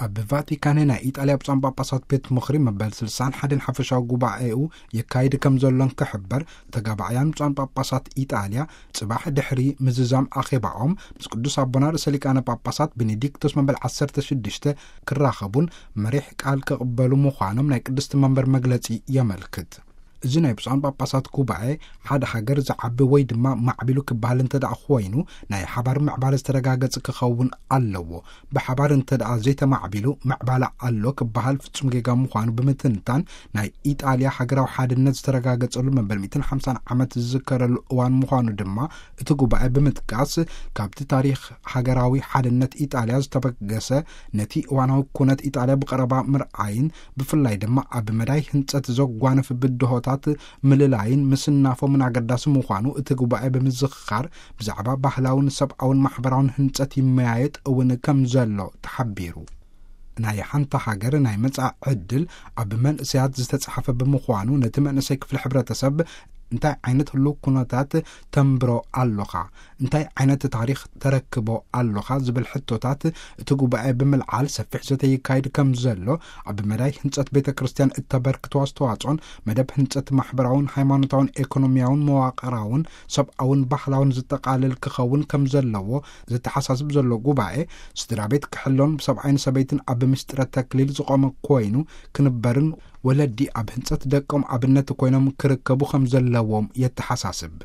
ኣብ ቫቲካን ናይ ኢጣልያ ብፁዓን ጳጳሳት ቤት ምኽሪ መበል ስልሳን ሓደን ሓፈሻዊ ጉባኤኡ የካይድ ከም ዘሎን ክሕበር፣ ተጋባእያን ብፁዓን ጳጳሳት ኢጣልያ ጽባሕ ድሕሪ ምዝዛም ኣኼባኦም ምስ ቅዱስ ኣቦና ርእሰ ሊቃነ ጳጳሳት ቤኔዲክቶስ መበል ዓሰርተ ሽዱሽተ ክራኸቡን መሪሕ ቃል ክቕበሉ ምዃኖም ናይ ቅድስቲ መንበር መግለጺ የመልክት። እዚ ናይ ብፁዓን ጳጳሳት ጉባኤ ሓደ ሃገር ዝዓቢ ወይ ድማ ማዕቢሉ ክበሃል እንተ ደኣ ኮይኑ፣ ናይ ሓባር ምዕባለ ዝተረጋገጸ ክኸውን ኣለዎ። ብሓባር እንተ ደኣ ዘይተማዕቢሉ ምዕባለ ኣሎ ክበሃል ፍጹም ጌጋ ምዃኑ ብምትንታን፣ ናይ ኢጣልያ ሃገራዊ ሓድነት ዝተረጋገጸሉ መበል ሚእትን ሓምሳን ዓመት ዝዝከረሉ እዋን ምዃኑ ድማ እቲ ጉባኤ ብምጥቃስ፣ ካብቲ ታሪኽ ሃገራዊ ሓድነት ኢጣልያ ዝተበገሰ ነቲ እዋናዊ ኩነት ኢጣልያ ብቐረባ ምርኣይን ብፍላይ ድማ ኣብ መዳይ ህንጸት ዘጓነፍ ብድሆታት ምልላይን ምስናፎምን ኣገዳሲ ምዃኑ እቲ ጉባኤ ብምዝኽኻር፣ ብዛዕባ ባህላውን ሰብኣውን ማሕበራውን ህንጸት ይመያየጥ እውን ከም ዘሎ ተሓቢሩ። ናይ ሓንቲ ሃገር ናይ መጻኢ ዕድል ኣብ መንእሰያት ዝተጻሕፈ ብምዃኑ፣ ነቲ መንእሰይ ክፍሊ ሕብረተሰብ እንታይ ዓይነት ህሉው ኩነታት ተንብሮ ኣሎኻ፣ እንታይ ዓይነት ታሪኽ ተረክቦ ኣሎኻ ዝብል ሕቶታት እቲ ጉባኤ ብምልዓል ሰፊሕ ዘተ ይካየድ ከም ዘሎ፣ ኣብ መዳይ ህንጸት ቤተ ክርስቲያን እተበርክቶ ኣስተዋጽኦን መደብ ህንጸት ማሕበራውን ሃይማኖታውን ኤኮኖሚያውን መዋቕራውን ሰብኣውን ባህላውን ዝጠቓልል ክኸውን ከም ዘለዎ ዘተሓሳስብ ዘሎ ጉባኤ፣ ስድራ ቤት ክሕሎን ብሰብኣይን ሰበይትን ኣብ ምስጢረ ተክሊል ዝቖመ ኮይኑ ክንበርን ወለዲ ኣብ ህንጸት ደቆም ኣብነት ኮይኖም ክርከቡ ከም ዘለዎም የተሓሳስብ።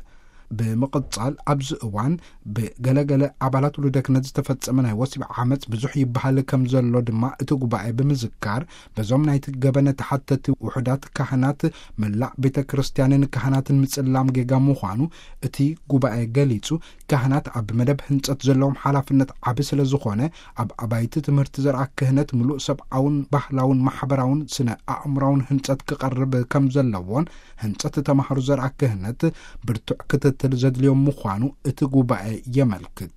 ብምቕጻል፣ ኣብዚ እዋን ብገለገለ ኣባላት ውሉደ ክህነት ዝተፈጸመ ናይ ወሲብ ዓመጽ ብዙሕ ይበሃል ከም ዘሎ ድማ እቲ ጉባኤ ብምዝካር፣ በዞም ናይቲ ገበነ ተሓተቲ ውሑዳት ካህናት መላእ ቤተ ክርስቲያንን ካህናትን ምጽላም ጌጋ ምዃኑ እቲ ጉባኤ ገሊጹ፣ ካህናት ኣብ መደብ ህንጸት ዘለዎም ሓላፍነት ዓቢ ስለ ዝኾነ፣ ኣብ ኣባይቲ ትምህርቲ ዘርኣ ክህነት ምሉእ ሰብኣውን ባህላውን ማሕበራውን ስነ ኣእምራውን ህንጸት ክቐርብ ከም ዘለዎን፣ ህንጸት ተማሃሮ ዘርኣ ክህነት ብርቱዕ ክትትል ዘድልዮም ምዃኑ እቲ ጉባኤ የመልክት።